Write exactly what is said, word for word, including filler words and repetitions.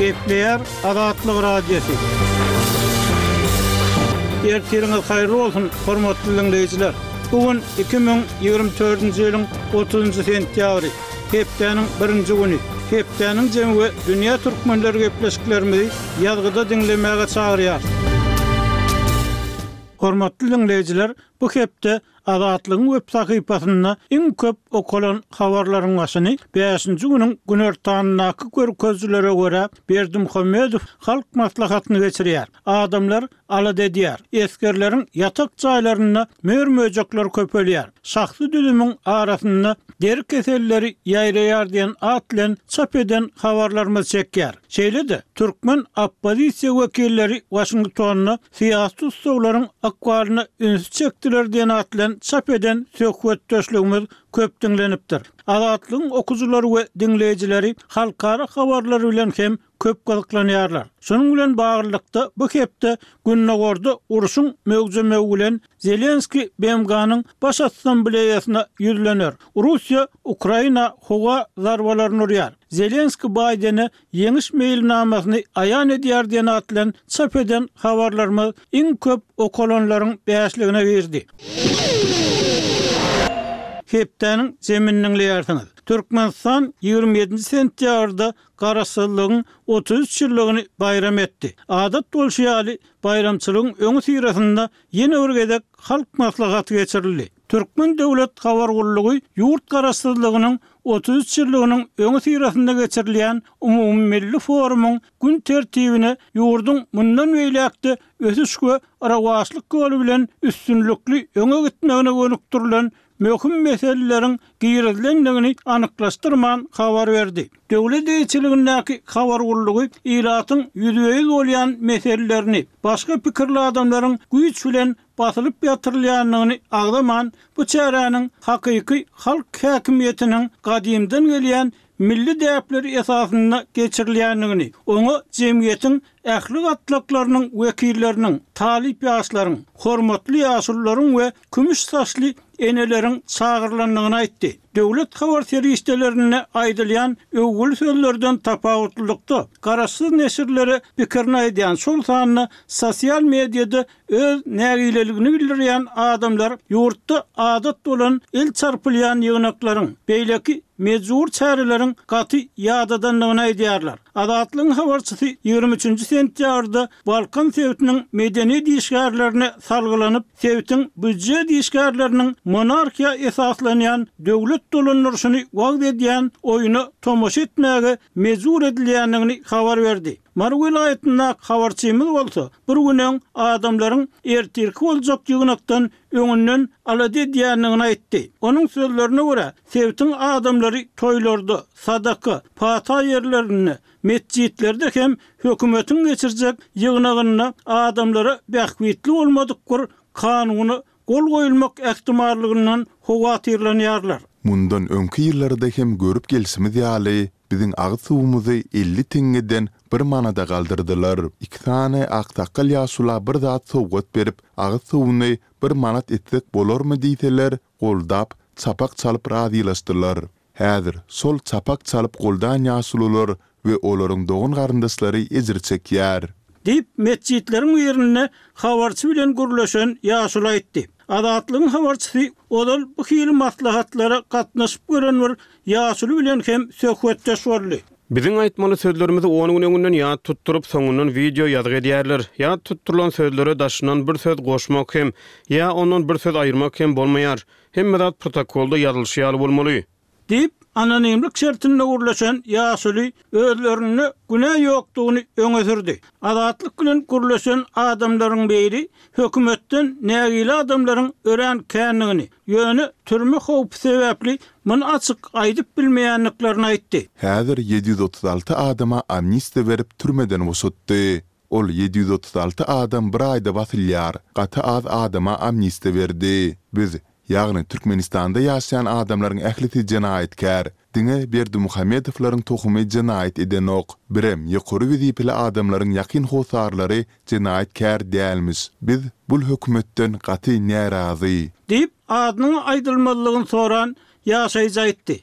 Gepleýär Azatlyk Radiosy. Ertiriňiz haýyrly bolsun, hormatly diňleýjiler! Bu gün iki müň ýigrimi dördünji ýylyň otuzynjy sentýabry, hepdäniň birinji güni. Hepdäniň jemi we dünýä türkmenleri gepleşiklerimizi ýazgyda diňlemäge çagyrýar. Hormatly diňleýjiler, bu hepde Azatlygyň web sahypasynda iň köp okalan habarlaryň başyny bäşinji günüň günortanyndaky görkezijilere görä Berdimuhamedow Halk Maslahatyny geçirýär. Adamlar alada edýär. Esgerleriň ýatak jaýlarynda mör-möjekler köpelýär. Şahsy düzümiň arasynda deri keselleri ýaýraýar diýen at bilen çap eden habarlarymyz çekýär. Şeýle-de, türkmen oppozisiýa wekilleri Waşingtonda syýasy tussaglaryň ykbalyna ünsi çekdiler diýen at bilen çap eden söhbetdeşligimiz köp diňlenipdir. Azatlygyň okyjylary we diňleýjileri halkara habarlary bilen hem köp gyzyklanýarlar. Şunuň bilen baglylykda, bu hepde Gündogarda urşuň möwjemegi bilen Zelenskiý BMG-niň Baş Assambleýasyna ýüzlener. Russiýa Ukraina howa zarbalaryny urýar. Zelenskiý Baýdene ýeňiş meýilnamasyny aýan edýär diýen at bilen çap eden habarlarymyz iň köp okalanlaryň bäşligine girdi. Hepdäniň jemini diňleýärsiňiz. Türkmenistan ýigrimi ýedinji sentýabrda Garaşsyzlygyň otuz üç ýyllygyny baýram etdi. Adat bolşy ýaly, baýramçylygyň öňüsyrasynda ýene bir gezek Halk Maslahaty geçirildi. Türkmen döwlet habar gullugy ýurt Garaşsyzlygynyň otuz üç ýyllygynyň öňüsyrasynda geçirilýän umumymilli forumyň gün tertibine ýurduň mundan beýläk-de ösüş we rowaçlyk ýoly bilen üstünlikli öňe gitmegine gönükdirilen möhüm meseleleriň girizilendigini anyklaşdyrman habar berdi. Döwlet eýeçiligindäki habar gullugy ilatyň ýüzbe-ýüz bolýan meselelerini, başga pikirli adamlaryň güýç bilen basylyp ýatyrylýandygyny agzaman, bu çäräniň hakyky halk häkimiýetiniň gadymdan gelýän milli däpleri esasynda geçirilýändigini, oňa jemgyýetiň ähli gatlaklarynyň wekilleriniň, talyp ýaşlaryň, hormatly ýaşulularyň we kümüş saçly eneleriň çagyrylandygyny aýtdy. Döwlet habar serişdelerinde aýdylýan öwgüli sözlerden tapawutlylykda, garaşsyz neşirlere pikirini aýdýan, şol sanda sosial mediada öz nägileligini bildirýän adamlar ýurtda adat bolan el çarpylýan ýygnaklaryň, beýleki mejbury çäreleriň gaty ýadadandygyny aýdýarlar. Azatlygyň habarçysy ýigrimi üçünji sentýabrda Balkan sebitiniň medeniýet işgärlerine salgylanyp, sebitiň býujet işgärleriniň monarhiýa esaslanýan döwlet dolandyryşyny wagyz edýän oýuna tomaşa etmäge mejbur edilýändigini habar berdi. Mary welaýatyndaky habarçymyz bolsa, bir gün öň adamlaryň ertirki boljak ýygnakdan öňünden alada edýändigini aýtdy. Onuň sözlerine görä, sebitiň adamlary toýlarda, sadaka, pata ýerlerinde, metjitlerde hem hökümetiň geçirjek ýygnagynda adamlara bähbitli bolmadyk bir kanuna gol goýulmak ähtimallygyndan howatyrlanýarlar. Mundan öňki ýyllarda hem görüp gelşimiz ýaly, biziň agyz suwumyzy elli teňňeden bir manada galdyrdylar. Iki sany aksakgal ýaşula bir zat sowgat berip, agyz suwuny bir manat etsek bolarmy diýseler, goldap, çapak çalyp razylaşdylar. Häzir şol çapak çalyp goldan ýaşulular we olaryň dogan-garyndaşlary ejir çekýär. Diýip, metjitleriň birinde habarçy bilen gürleşen ýaşuly aýtdy. Azatlygyň habarçysy ozal bu hili maslahatlara gatnaşyp gören bir ýaşuly bilen hem söhbetdeş boldy. Biziň aýtmaly sözlerimizi on gün öňünden ýat tutduryp, soňundan wideo ýazgy edýärler. Ýat tutdurylan sözlere daşyndan bir söz goşmak hem, ýa ondan bir söz aýyrmak hem bolmaýar. Hemme zat protokolda ýazylyşy ýaly bolmaly. Diýip, anonimlik şertinde gürleşen ýaşuly özlerinde günä ýokdugyny öňe sürdi. Azatlyk bilen gürleşen adamlaryň biri hökümetden nägile adamlaryň örän kändigini, ýöne türme howpy sebäpli muny açyk aýdyp bilmeýändiklerini aýtdy. Häzir ýedi ýüz otuz alty adama amnistiýa berip türmeden boşatdy. Ol ýedi ýüz otuz alty adam bir aýda basylýar, gaty az adama amnistiýa berdi. Biz, ýagny Türkmenistanda ýaşaýan adamlaryň ählisi jenaýatkär. Diňe Berdimuhamedowlaryň tohumy jenaýat edenok. Birem ýokary wezipeli adamlaryň ýakyn hossarlary jenaýatkär dälmiş. Biz bul hökümetden gaty närazy. Diýip, adynyň aýdylmazlygyny soran ýaşaýjy aýtdy.